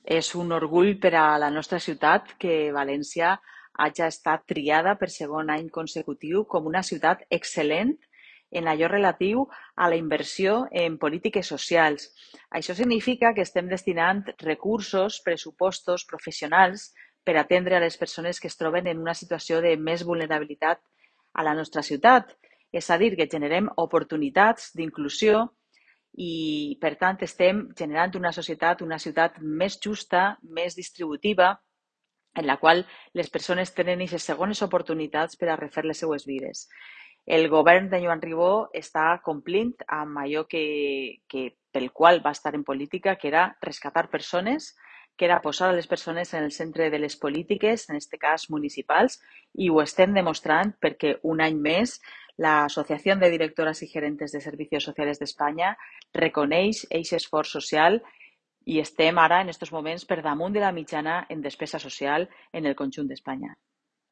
És un orgull per a la nostra ciutat que València hagi estat triada per segon any consecutiu com una ciutat excel·lent en allò relatiu a la inversió en polítiques socials. Això significa que estem destinant recursos, pressupostos, professionals per atendre a les persones que es troben en una situació de més vulnerabilitat a la nostra ciutat. És a dir, que generem oportunitats d'inclusió i, per tant, estem generant una societat, una ciutat més justa, més distributiva, en la qual les persones tenen aquestes segones oportunitats per a refer les seues vides. El govern de Joan Ribó està complint amb allò pel qual va estar en política, que era rescatar persones, que era posar a les persones en el centre de les polítiques, en aquest cas municipals, i ho estem demostrant perquè un any més la Asociación de Directoras y Gerentes de Servicios Sociales d'Espanya reconeix aquest esforç social i estem ara, en aquests moments, per damunt de la mitjana en despesa social en el conjunt d'Espanya.